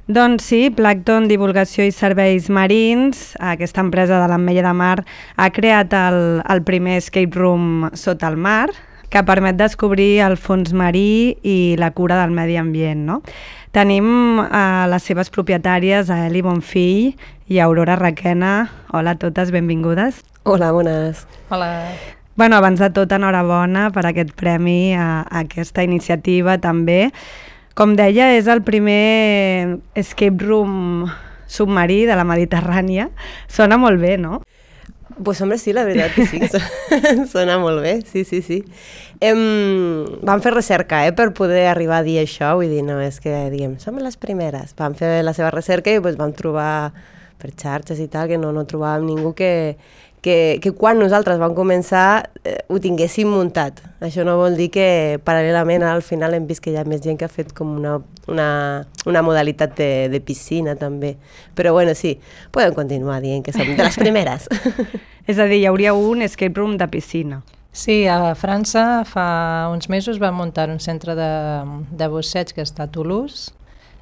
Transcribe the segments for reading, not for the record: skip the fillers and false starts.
Doncs sí, Plàncton Divulgació i Serveis Marins, aquesta empresa de l'Ametlla de Mar, ha creat el primer escape room sota el mar, que permet descobrir el fons marí i la cura del medi ambient, no? Tenim les seves propietàries, a Eli Bonfill i Aurora Requena. Hola a totes, benvingudes. Hola, bones. Hola. Bueno, abans de tot, enhorabona per aquest premi, a aquesta iniciativa també. Com deia, és el primer escape room submarí de la Mediterrània. Sona molt bé, no? Pues hombre, sí, la veritat que sí, que sona molt bé, sí. Vam fer recerca per poder arribar a dir això, vull dir, no és que diguem, som les primeres. Vam fer la seva recerca i vam trobar per xarxes i tal, que no trobàvem ningú que quan nosaltres vam començar ho tinguéssim muntat. Això no vol dir que paral·lelament al final hem vist que hi ha més gent que ha fet com una modalitat de piscina també. Però bueno, sí, podem continuar dient que som de les primeres. És a dir, hi hauria un escape room de piscina. Sí, a França fa uns mesos van muntar un centre de busseig que està a Toulouse.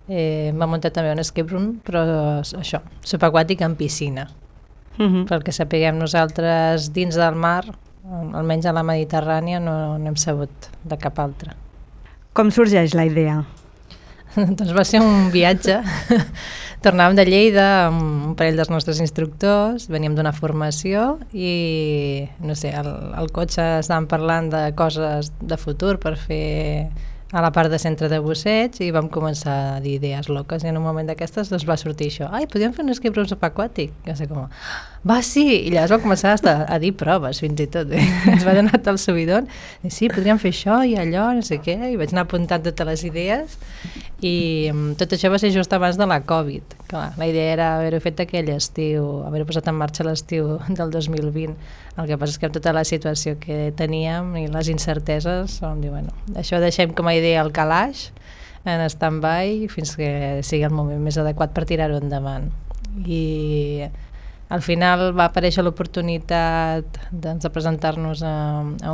Van muntar també un escape room, però això, subaquàtic en piscina. Pel que sapiguem nosaltres dins del mar, almenys a la Mediterrània, no hem sabut de cap altre. Com sorgeix la idea? Doncs va ser un viatge. Tornàvem de Lleida amb un parell dels nostres instructors, veníem d'una formació i, no sé, al cotxe estàvem parlant de coses de futur per fer a la part de centre de busseig i vam començar a dir idees loques i en un moment d'aquestes va sortir això. Ai, podríem fer un escape room subaquàtic? I va ser com, va, sí! I llavors vam començar a dir proves, fins i tot. Ens va donar tal subidon. I sí, podríem fer això i allò, no sé què. I vaig anar apuntant totes les idees i tot això va ser just abans de la Covid. Clar, la idea era haver-ho fet aquell estiu, haver-ho posat en marxa l'estiu del 2020. El que passa és que amb tota la situació que teníem i les incerteses vam dir, bueno, això deixem com a idea al calaix, en stand-by, fins que sigui el moment més adequat per tirar-ho endavant. I al final va aparèixer l'oportunitat de presentar-nos a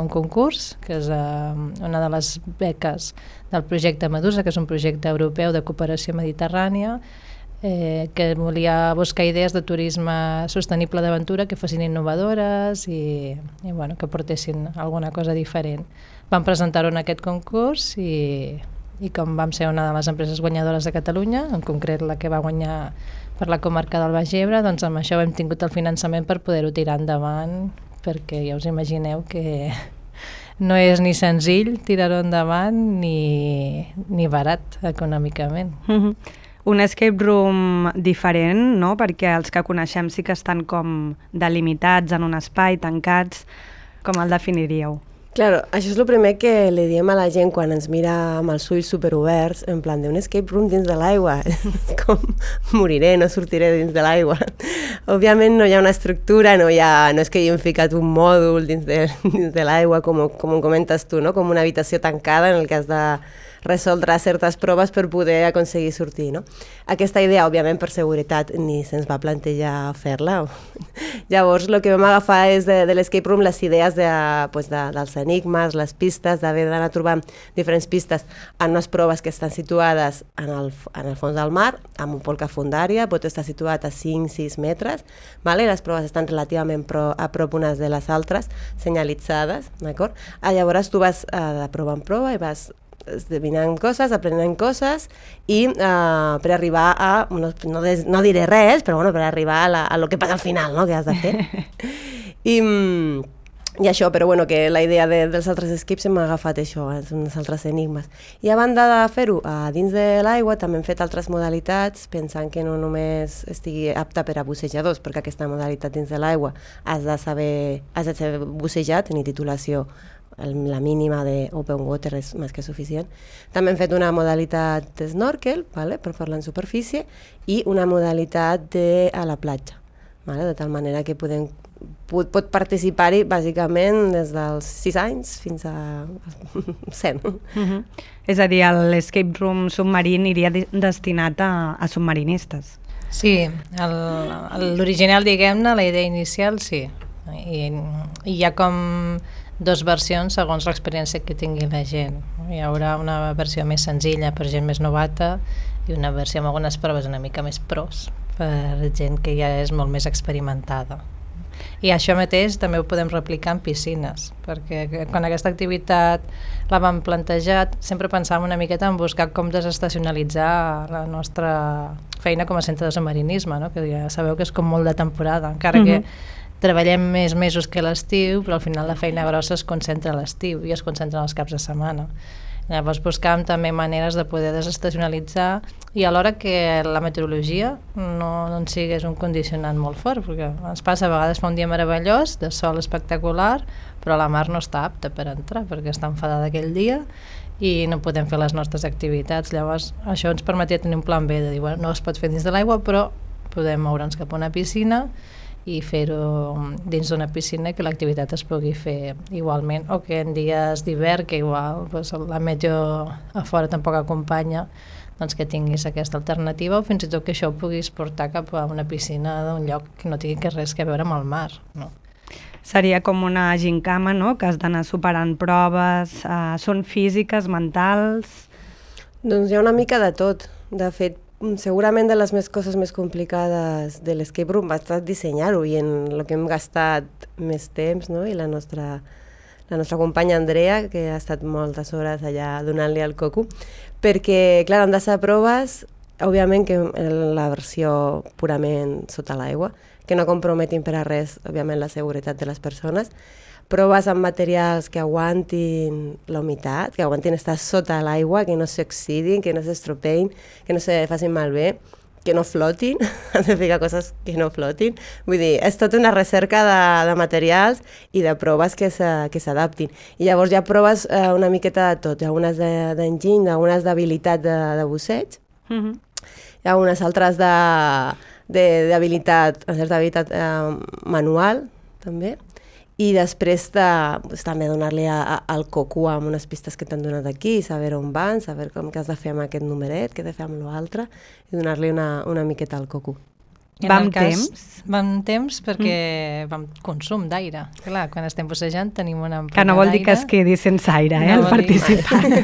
un concurs, que és una de les beques del projecte Medusa, que és un projecte europeu de cooperació mediterrània, que volia buscar idees de turisme sostenible d'aventura que fossin innovadores i bueno, que portessin alguna cosa diferent. Vam presentar-ho en aquest concurs i com vam ser una de les empreses guanyadores de Catalunya, en concret la que va guanyar per la comarca del Baix Ebre, doncs amb això hem tingut el finançament per poder-ho tirar endavant, perquè ja us imagineu que no és ni senzill tirar-ho endavant ni barat econòmicament. Un escape room diferent, no? Perquè els que coneixem sí que estan com delimitats en un espai, tancats. Com el definiríeu? Claro, això és el primer que li diem a la gent quan ens mira amb els ulls superoberts, en plan d'un escape room dins de l'aigua. Com moriré, no sortiré dins de l'aigua. Òbviament no hi ha una estructura, no és que hi hem ficat un mòdul dins de l'aigua, com ho comentes tu, no? Com una habitació tancada en el que has de resoldre certes proves per poder aconseguir sortir, no? Aquesta idea, òbviament, per seguretat, ni se'ns va plantejar fer-la. Llavors, el que vam agafar és de l'escape room les idees dels enigmes, les pistes, d'haver d'anar trobant diferents pistes en unes proves que estan situades en el fons del mar, amb un polca fundària, pot estar situat a 5-6 metres, vale? Les proves estan relativament a prop unes de les altres, senyalitzades, d'acord? Llavors, tu vas de prova en prova i vas esdevinant coses, aprenent coses i per arribar a, no diré res, però bueno, per arribar a lo que passa al final, no?, que has de fer. I això, però bueno, que la idea dels altres escapes hem agafat això, uns altres enigmes. I a banda de fer-ho dins de l'aigua, també hem fet altres modalitats, pensant que no només estigui apta per a bussejadors, perquè aquesta modalitat dins de l'aigua has de ser bussejat, tenir titulació la mínima de open water és més que suficient. També hem fet una modalitat de snorkel, vale, per fer-la en superfície, i una modalitat a la platja, vale, de tal manera que pot participar-hi bàsicament des dels 6 anys fins a 100. És a dir, l'escape room submarí iria destinat a submarinistes. Sí, l'original, diguem-ne, la idea inicial, sí. I hi ha com dues versions segons l'experiència que tingui la gent. Hi haurà una versió més senzilla per gent més novata i una versió amb algunes proves una mica més pros per gent que ja és molt més experimentada. I això mateix també ho podem replicar en piscines, perquè quan aquesta activitat la vam plantejar sempre pensàvem una miqueta en buscar com desestacionalitzar la nostra feina com a centre de submarinisme, no? Que ja sabeu que és com molt de temporada, encara que treballem més mesos que l'estiu, però al final la feina grossa es concentra a l'estiu i es concentra els caps de setmana. Llavors buscàvem també maneres de poder desestacionalitzar i alhora que la meteorologia no ens sigués un condicionant molt fort, perquè ens passa a vegades fa un dia meravellós, de sol espectacular, però la mar no està apta per entrar perquè està enfadada aquell dia i no podem fer les nostres activitats. Llavors això ens permetia tenir un plan B de dir, bueno, no es pot fer dins de l'aigua, però podem moure'ns cap a una piscina i fer-ho dins d'una piscina que l'activitat es pugui fer igualment, o que en dies d'hivern, que igual doncs, la meteo a fora tampoc acompanya, doncs que tinguis aquesta alternativa, o fins i tot que això ho puguis portar cap a una piscina d'un lloc que no tingui res a veure amb el mar, no? Seria com una gincama, no?, que has d'anar superant proves, són físiques, mentals... Doncs hi ha una mica de tot. De fet, segurament de les coses més complicades de l'escape room va estar dissenyar-ho i en el que hem gastat més temps, no? I la nostra companya Andrea, que ha estat moltes hores allà donant-li el coco, perquè, clar, han de ser proves, òbviament que la versió purament sota l'aigua, que no comprometin per a res, òbviament, la seguretat de les persones, proves amb materials que aguantin la humitat, que aguantin estar sota l'aigua, que no s'oxidin, que no s'estropeïn, que no se facin malbé, que no flotin, has de ficar coses que no flotin. Vull dir, és tota una recerca de materials i de proves que s'adaptin. I llavors hi ha proves una miqueta de tot. Hi ha unes d'enginy, algunes d'habilitat de busseig, hi ha unes altres d'habilitat, una certa habilitat manual, també. I després també donar-li al coco amb unes pistes que t'han donat aquí, saber on van, saber com que has de fer amb aquest numeret, què has de fer amb l'altre, i donar-li una miqueta al coco. Vam temps? Vam temps perquè vam consum d'aire. Clar, quan estem bussejant tenim una ampolla d'aire. Que no vol dir que es quedi sense aire, el participant.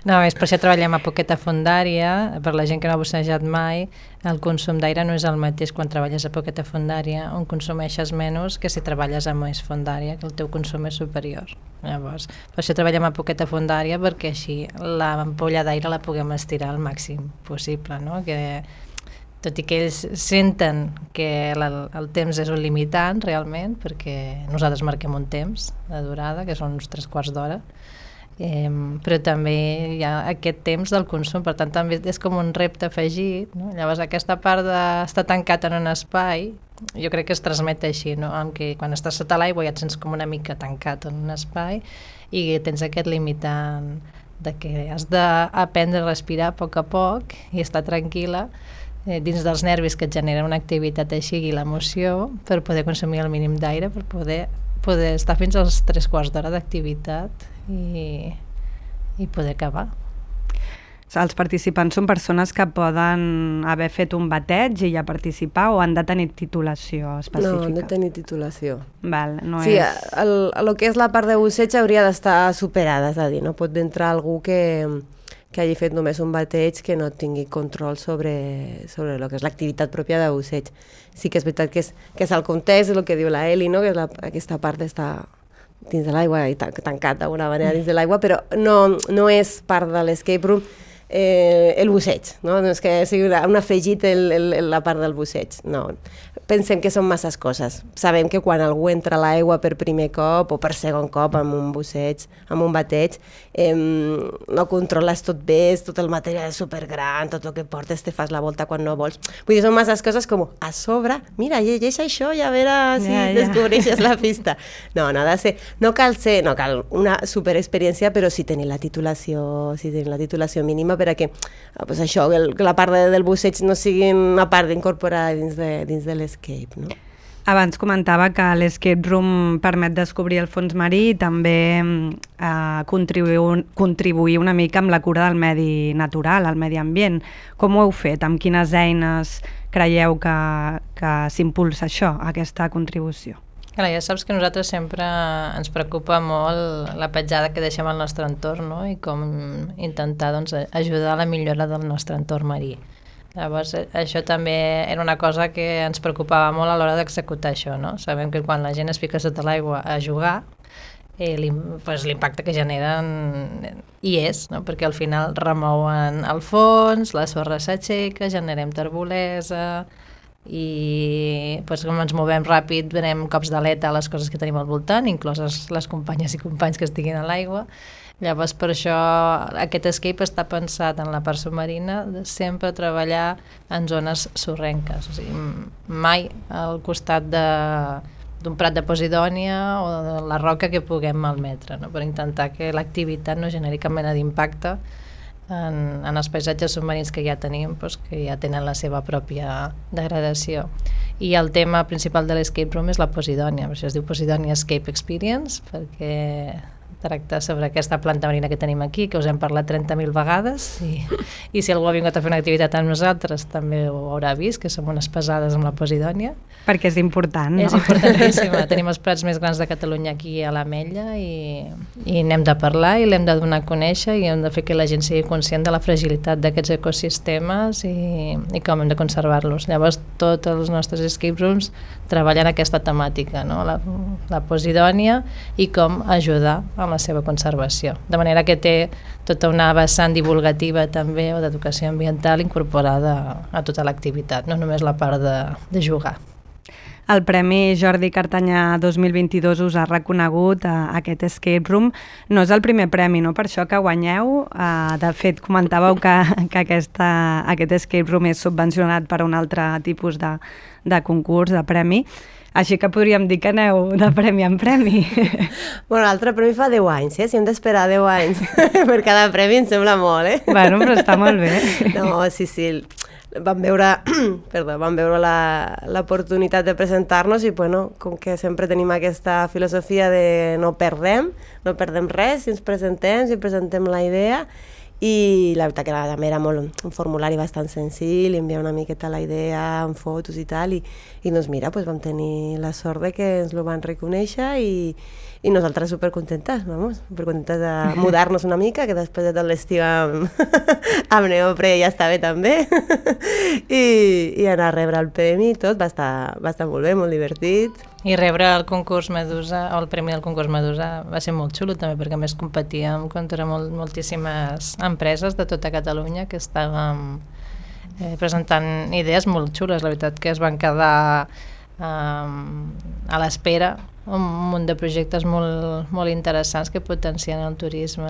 No, és per això treballem a poqueta fondària. Per la gent que no ha bussejat mai, el consum d'aire no és el mateix quan treballes a poqueta fondària, on consumeixes menys que si treballes a més fondària, que el teu consum és superior. Llavors, per això treballem a poqueta fondària, perquè així l'ampolla d'aire la puguem estirar al màxim possible, no? Que tot i que ells senten que el temps és un limitant realment, perquè nosaltres marquem un temps de durada, que són uns 3/4 d'hora, però també hi ha aquest temps del consum, per tant també és com un repte afegit, no? Llavors aquesta part d'estar tancat en un espai, jo crec que es transmet així, no? En què quan estàs sota l'aigua ja et sents com una mica tancat en un espai i tens aquest limitant de que has d'aprendre a respirar a poc i estar tranquil·la dins dels nervis que et genera una activitat així i l'emoció per poder consumir el mínim d'aire, per poder estar fins als 3/4 d'hora d'activitat i poder acabar. Els participants són persones que poden haver fet un bateig i ja participar o han de tenir titulació específica? No, han de tenir titulació. Val, no sí, és... el que és la part de busseig hauria d'estar superada, és a dir, no pot entrar algú que hagi fet només un bateig que no tingui control sobre el que és l'activitat pròpia de busseig. Sí que és veritat que és el context, el que diu la Eli, no? Que és aquesta part d'estar dins de l'aigua i tancat d'alguna manera dins de l'aigua, però no és part de l'escape room el busseig, no? No és que sigui un afegit la part del busseig, no. Pensem que són masses coses. Sabem que quan algú entra a l'aigua per primer cop o per segon cop amb un busseig, amb un bateig, no controles tot bé, tot el material és supergran, tot el que portes te fas la volta quan no vols. Vull dir, són masses coses com a sobre, mira, llegeix això i a veure si descobreixes la pista. No ha de ser, no cal una superexperiència, però sí tenir la titulació mínima per a que això, que la part del busseig no sigui una part d'incorporar dins de l'escape, no? Abans comentava que l'escape room permet descobrir el fons marí i també contribuir una mica amb la cura del medi natural, el medi ambient. Com ho heu fet? Amb quines eines creieu que s'impulsa això, aquesta contribució? Clar, ja saps que nosaltres sempre ens preocupa molt la petjada que deixem al nostre entorn, no? I com intentar doncs, ajudar a la millora del nostre entorn marí. Llavors, això també era una cosa que ens preocupava molt a l'hora d'executar això, no? Sabem que quan la gent es fica sota l'aigua a jugar, l'impacte que generen hi és, no? Perquè al final remouen el fons, la sorra s'aixeca, generem terbolesa, i doncs, com ens movem ràpid venem cops d'aleta a les coses que tenim al voltant, incloses les companyes i companys que estiguin a l'aigua. Llavors per això aquest escape està pensat en la part submarina de sempre treballar en zones sorrenques, o sigui, mai al costat d'un prat de Posidònia o de la roca que puguem malmetre, no? Per intentar que l'activitat no generi cap mena d'impacte en els paisatges submarins que ja tenim, doncs, que ja tenen la seva pròpia degradació. I el tema principal de l'escape room és la Posidònia, per això es diu Posidònia Escape Experience, perquè tracta sobre aquesta planta marina que tenim aquí, que us hem parlat 30.000 vegades, i si algú ha vingut a fer una activitat amb nosaltres també ho haurà vist, que som unes pesades amb la Posidònia. Perquè és important, no? És importantíssima. Tenim els prats més grans de Catalunya aquí a l'Ametlla i n'hem de parlar i l'hem de donar a conèixer i hem de fer que la gent sigui conscient de la fragilitat d'aquests ecosistemes i com hem de conservar-los. Llavors, tots els nostres escape rooms treballen aquesta temàtica, no? La Posidònia i com ajudar a la seva conservació. De manera que té tota una vessant divulgativa també o d'educació ambiental incorporada a tota l'activitat, no només la part de jugar. El Premi Jordi Cartanyà 2022 us ha reconegut aquest escape room. No és el primer premi, no? Per això que guanyeu. De fet, comentàveu que aquest escape room és subvencionat per un altre tipus de concurs, de premi. Així que podríem dir que aneu de premi en premi. Bueno, l'altre premi fa 10 anys, si hem d'esperar 10 anys per cada premi em sembla molt, Bueno, però està molt bé. No, sí. Vam veure l'oportunitat de presentar-nos i, bueno, com que sempre tenim aquesta filosofia de no perdem res si ens presentem la idea. I la veritat que també era un formulari bastant senzill, enviar una miqueta la idea amb fotos i tal, i doncs mira, vam tenir la sort de que ens ho van reconèixer i nosaltres supercontentes de mudar-nos una mica, que després de tot l'estiu amb neopre ja està bé també, i anar a rebre el premi i tot, va estar molt bé, molt divertit. I rebre el concurs Medusa, o el premi del concurs Medusa, va ser molt xulo també, perquè a més competíem contra moltíssimes empreses de tota Catalunya que estàvem presentant idees molt xules. La veritat que es van quedar a l'espera un munt de projectes molt interessants que potencien el turisme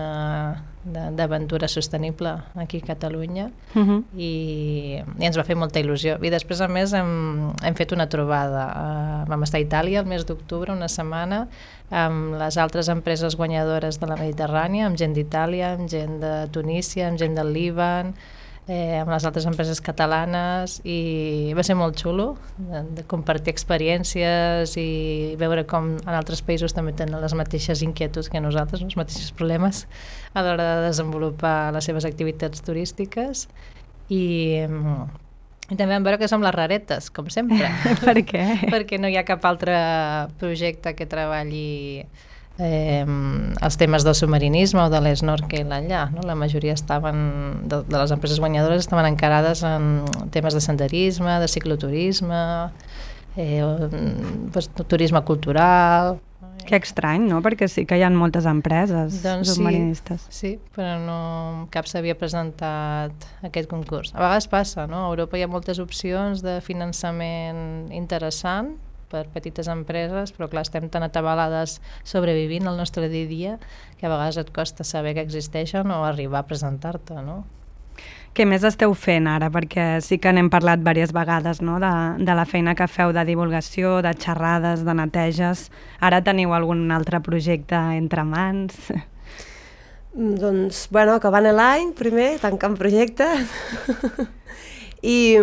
d'aventura sostenible aquí a Catalunya i ens va fer molta il·lusió. I després, a més, hem fet una trobada. Vam estar a Itàlia el mes d'octubre, una setmana, amb les altres empreses guanyadores de la Mediterrània, amb gent d'Itàlia, amb gent de Tunísia, amb gent del Líban, amb les altres empreses catalanes, i va ser molt xulo de compartir experiències i veure com en altres països també tenen les mateixes inquietuds que nosaltres, els mateixos problemes a l'hora de desenvolupar les seves activitats turístiques, i també vam veure que som les raretes, com sempre. Per què? Perquè no hi ha cap altre projecte que treballi els temes del submarinisme o de l'snorkel allà, no? La majoria estaven, de les empreses guanyadores estaven encarades en temes de senderisme, de cicloturisme, turisme cultural. Que estrany, no? Perquè sí que hi ha moltes empreses submarinistes. Sí, però no cap s'havia presentat aquest concurs. A vegades passa, no? A Europa hi ha moltes opcions de finançament interessant per petites empreses, però clar, estem tan atabalades sobrevivint el nostre dia a dia que a vegades et costa saber que existeixen o arribar a presentar-te, no? Què més esteu fent ara? Perquè sí que n'hem parlat diverses vegades, no? De la feina que feu de divulgació, de xerrades, de neteges. Ara teniu algun altre projecte entre mans? Doncs, bueno, acabant l'any, primer, tancant projectes. I,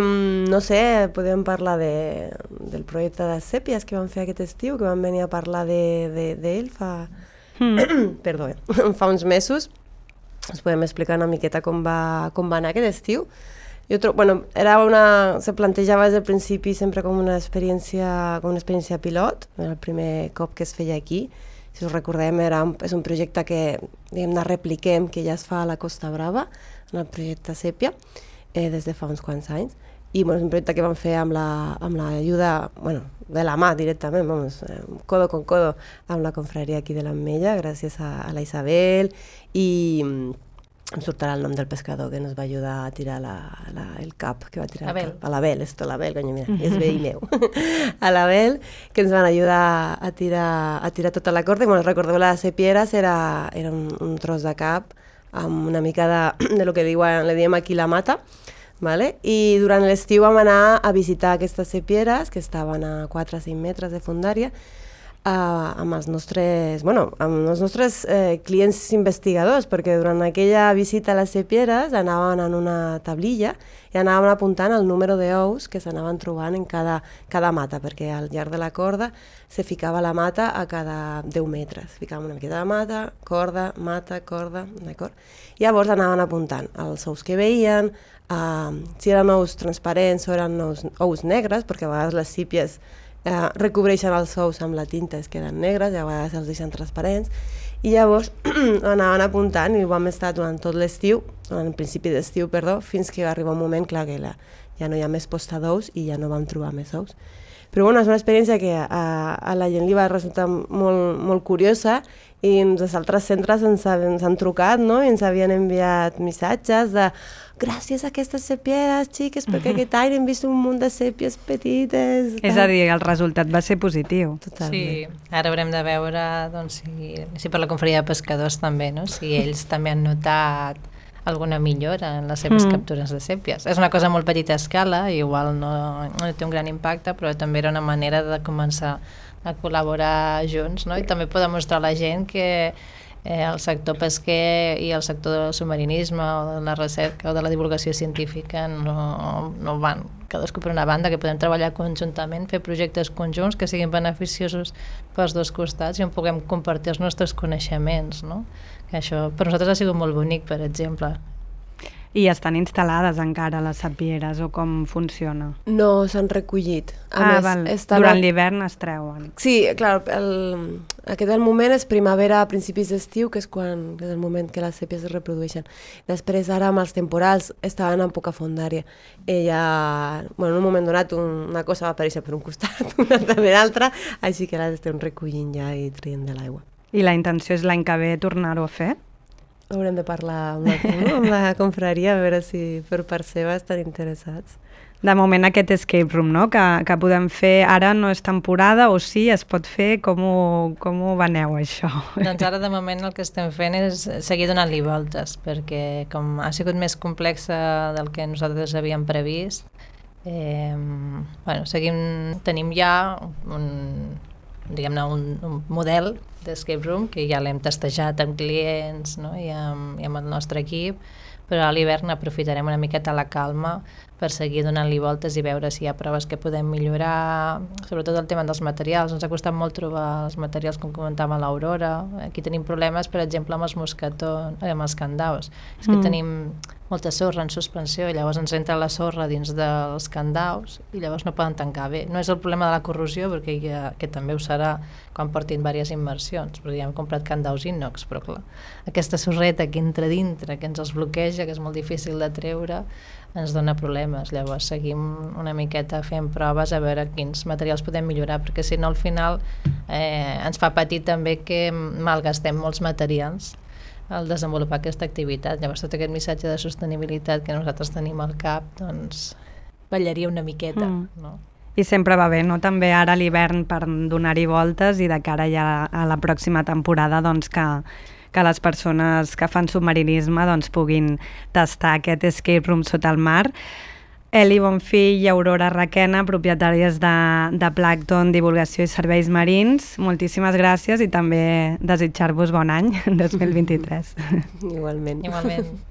no sé, podem parlar del projecte de sèpies que vam fer aquest estiu, que vam venir a parlar d'ell fa uns mesos. Us podem explicar una miqueta com va anar aquest estiu. se plantejava des del principi sempre com una experiència pilot, era el primer cop que es feia aquí. Si us recordem, és un projecte que diguem-ne repliquem, que ja es fa a la Costa Brava, en el projecte Sèpia, des de fa uns quants anys. I és un projecte que vam fer amb l'ajuda, de la mà directament, codo con codo, amb la confraria aquí de l'Ametlla, gràcies a la Isabel, i em sortirà el nom del pescador que ens va ajudar a tirar el cap, que va tirar el cap. A l'Abel, coño, mira, és veí meu. A l'Abel, que ens van ajudar a tirar tota la corda. I recordeu, les sepieres era un tros de cap amb una mica de lo que le diem aquí la mata, vale? I durant l'estiu vam anar a visitar aquestes sepieres, que estaven a 4 o 5 metres de fondària, amb els nostres clients investigadors, perquè durant aquella visita a les sepieres anaven en una tablilla i anaven apuntant el número d'ous que s'anaven trobant en cada mata, perquè al llarg de la corda se ficava la mata a cada 10 metres. Ficàvem una miqueta de mata, corda, d'acord? Llavors anaven apuntant els ous que veien, si eren ous transparents o eren ous negres, perquè a vegades les sípies recobreixen els ous amb la tinta, es queden negres, i a vegades els deixen transparents, i llavors anaven apuntant i ho vam estar durant tot l'estiu, durant el principi d'estiu, fins que va arribar un moment, clar, que ja no hi ha més posta d'ous i ja no vam trobar més ous. Però és una experiència que a la gent li va resultar molt, molt curiosa, i els altres centres ens han trucat, no? I ens havien enviat missatges de gràcies a aquestes sèpies, xiques, perquè aquest any hem vist un munt de sèpies petites. És a dir, el resultat va ser positiu. Totalment. Sí, ara haurem de veure si per la confraria de pescadors també, no? Si ells també han notat alguna millora en les seves captures de sèpies. És una cosa molt petita escala, igual no té un gran impacte, però també era una manera de començar a col·laborar junts, no? I també poder mostrar a la gent que el sector pesquer i el sector del submarinisme o de la recerca o de la divulgació científica no van cadascú per una banda, que podem treballar conjuntament, fer projectes conjunts que siguin beneficiosos pels dos costats i on puguem compartir els nostres coneixements, no? Que això per nosaltres ha sigut molt bonic, per exemple. I estan instal·lades encara les sapieres, o com funciona? No, s'han recollit. Durant l'hivern es treuen. Sí, clar, aquest moment és primavera a principis d'estiu, que és el moment que les sèpies es reprodueixen. Després, ara, amb els temporals, estaven en poca fondària. En un moment donat, una cosa va aparèixer per un costat, una altra per l'altre, així que les estem recollint ja i traient de l'aigua. I la intenció és l'any que ve tornar-ho a fer? Haurem de parlar amb la confraria, a veure si per part seva estan interessats. De moment aquest escape room, no?, que podem fer ara no és temporada, o sí, es pot fer, com ho veneu això? Doncs ara de moment el que estem fent és seguir donant-li voltes, perquè com ha sigut més complexa del que nosaltres havíem previst, tenim ja un model d'escape room que ja l'hem testejat amb clients, no? I amb el nostre equip, però a l'hivern aprofitarem una miqueta la calma per seguir donant-li voltes i veure si hi ha proves que podem millorar, sobretot el tema dels materials. Ens ha costat molt trobar els materials, com comentava l'Aurora. Aquí tenim problemes, per exemple, amb els mosquetons, amb els candaus. És que tenim molta sorra en suspensió i llavors ens entra la sorra dins dels candaus i llavors no poden tancar bé. No és el problema de la corrosió, perquè que també ho serà quan portin diverses immersions, perquè ja hem comprat candaus inox, però clar, aquesta sorreta que entra dintre, que ens els bloqueja, que és molt difícil de treure, ens dona problemes. Llavors seguim una miqueta fent proves a veure quins materials podem millorar, perquè si no al final ens fa patir també que malgastem molts materials al desenvolupar aquesta activitat. Llavors tot aquest missatge de sostenibilitat que nosaltres tenim al cap, doncs ballaria una miqueta, no? I sempre va bé, no?, també ara a l'hivern per donar-hi voltes i de cara ja a la pròxima temporada doncs que les persones que fan submarinisme doncs puguin tastar aquest escape room sota el mar. Eli Bonfill i Aurora Requena, propietàries de Plàncton, Divulgació i Serveis Marins, moltíssimes gràcies i també desitjar-vos bon any 2023. Igualment. Igualment.